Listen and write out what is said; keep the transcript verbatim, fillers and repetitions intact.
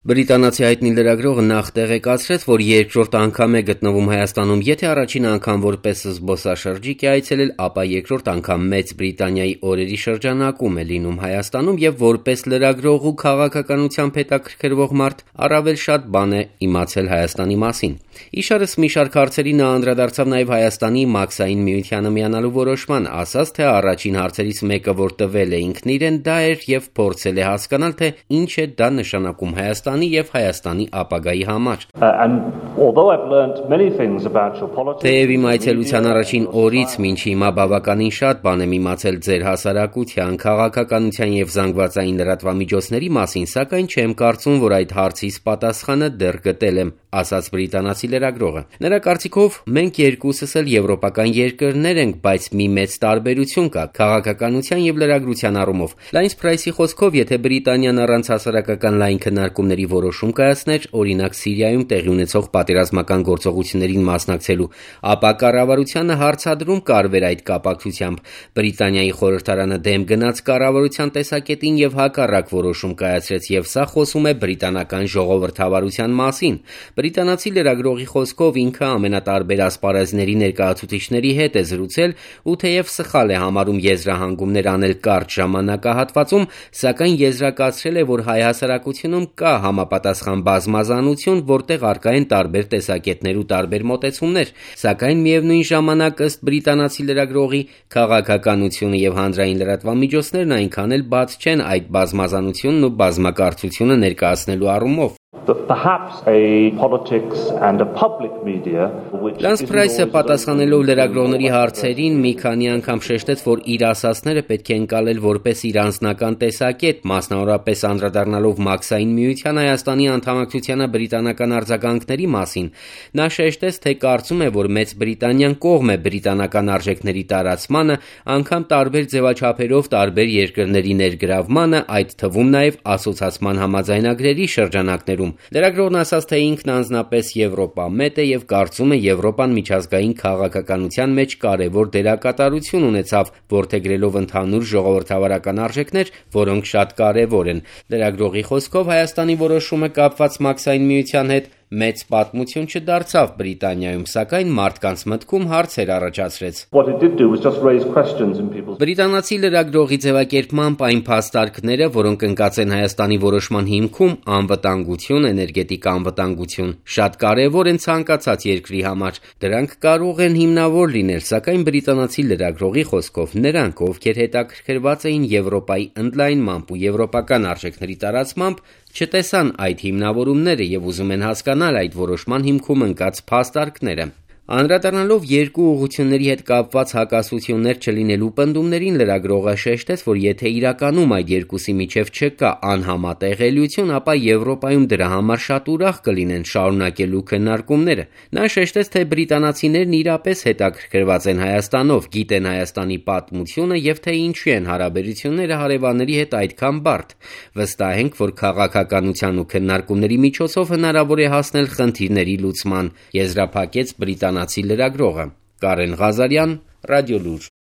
Բրիտանացի հայտնի լրագրողը նախ տեղեկացրեց, որ երկրորդ անգամ է գտնվում Հայաստանում, եթե առաջին անգամ որպես զբոսաշրջիկ է այցելել, ապա երկրորդ անգամ Մեծ Բրիտանիայի օրերի շրջանակում է լինում Հայաստանում և որպես լրագրող ու քաղաքականությամբ հետաքրքրվող մարդ առավել շատ բան է իմացել Հայաստանի մասին։ Իշարս մի շարք հարցերի նա անդրադարձավ նաև Հայաստանի Մաքսային միությանը միանալու որոշման, ասաց, թե առաջին հարցերից մեկը, որ տվել է ինքն իրեն, դա էր և փորձել է հասկանալ, թե ինչ է դա նշանակում Հայաստանի և Հայաստանի ապագայի համար։ Թեև իմ այցելության առաջին օրից մինչ հիմա բավականին շատ բան եմ իմացել ձեր հասարակության, քաղաքականության և զանգվածային լրատվամիջոցների մասին, սակայն չեմ կարծում, որ այդ հարցիս պատասխանը դեռ գտել եմ, ասաց բրիտանացի լրագրողը։ Նրա կարծիքով, մենք երկուսս էլ եվրոպական երկրներ ենք, բայց մի մեծ տարբերություն կա քաղաքականության և լրագրության առումով։ Լայնս Փրայսի խոսքով, եթե Բրիտանիան առանց հասարակական լայն քննարկումների որոշում կայացներ, օրինակ Սիրիայում տեղի ունեցող պատերազմական գործողություններին մասնակցելու, ապա կառավարությանը հարցադրում կարվեր այդ կապակցությամբ։ Բրիտանիայի խորհրդարանը դեմ գնաց կառավարության տեսակետին և հակառակ որոշում կայացրեց, և սա խոսում է բրիտանական ժողովրդավարության մասին։ Բրիտանացի լրագրողի խոսքով ինքը ամենատարբեր ասպարեզների ներկայացուցիչների հետ է զրուցել ու թեև սխալ է համարում եզրահանգումներ անել կարճ ժամանակահատվածում, սակայն եզրակացրել է, որ հայ հասարակությունում կա համապատասխան բազմազանություն, որտեղ առկա են տարբեր տեսակետներ ու տարբեր մոտեցումներ, սակայն միևնույն ժամանակ, ըստ բրիտանացի լրագրողի, քաղաքականությունը և հանրային լրատվամիջոցներն այնքան էլ բաց չեն այդ բազմազանությունն ու բազմակարծությունը ներկայացնելու առումով։ Լանս Փրայսը պատասխանելով լրագրողների հարցերին մի քանի անգամ շեշտեց, որ իր ասածները պետք է ընկալել որպես իր անձնական տեսակետ, մասնավորապես անդրադառնալով Մաքսային միության Հայաստանի անդամակցությանը բրիտանական արձագանքների մասին։ Նա շեշտեց, թե կարծում է, որ Մեծ Բրիտանիան կողմ է բրիտանական արժեքների տարածմանը, անգամ տարբեր ձևաչափերով տարբեր երկրների ներգրավմանը, այդ թվում նաև ասոցացման համաձայնագրերի շրջանակներում։ Լրագրողն ասաց, թե ինքն անձնապես եվրոպամետ է և կարծում է Եվրոպան միջազգային քաղաքականության մեջ կարևոր դերակատարություն ունեցավ, որդեգրելով ընդհանուր ժողովրդավարական արժեքներ, որոնք շատ կարևոր են։ Լրագրողի խոսքով Հայաստանի որոշումը կապված Մաքսային միության հետ մեծ պատմություն չդարձավ Բրիտանիայում, սակայն մարդկանց մտքում հարցեր առաջացրեց։ Բրիտանացի լրագրողի ձևակերպմամբ այն փաստարկները, որոնք ընկած են Հայաստանի որոշման հիմքում, անվտանգություն, էներգետիկ անվտանգություն, շատ կարևոր են ցանկացած երկրի համար։ Դրանք կարող են հիմնավոր լինել, սակայն բրիտանացի լրագրողի խոսքով, նրանք, ովքեր հետաքրքրված էին Եվրոպայի ընդլայնմամբ ու եվրոպական արժեքների տարածմամբ, չտեսան այդ հիմնավորումները և ուզում են հասկանալ այդ որոշման հիմքում ընկած փաստարկները։ Անդրադառնալով երկու ուղղությունների հետ կապված հակասություններ չլինելու պնդումներին, լրագրողը շեշտեց, որ եթե իրականում այդ երկուսի միջև չկա անհամատեղելիություն, ապա Եվրոպայում դրա համար շատ ուրախ կլինեն շարունակելու քննարկումները։ Նա շեշտեց, թե բրիտանացիներն իրապես հետաքրքրված են Հայաստանով, գիտեն Հայաստանի պատմությունը և թե ինչու են հարաբերությունները հարևանների հետ այդքան բարդ։ Վստահ ենք, որ քաղաքականության ու քննարկումների միջոցով հնարավոր է հասնել խնդիրների լուծման, եզրափակեց բրիտանացի լրագրողը։ Կարեն Ղազարյան, Ռադիոլուր։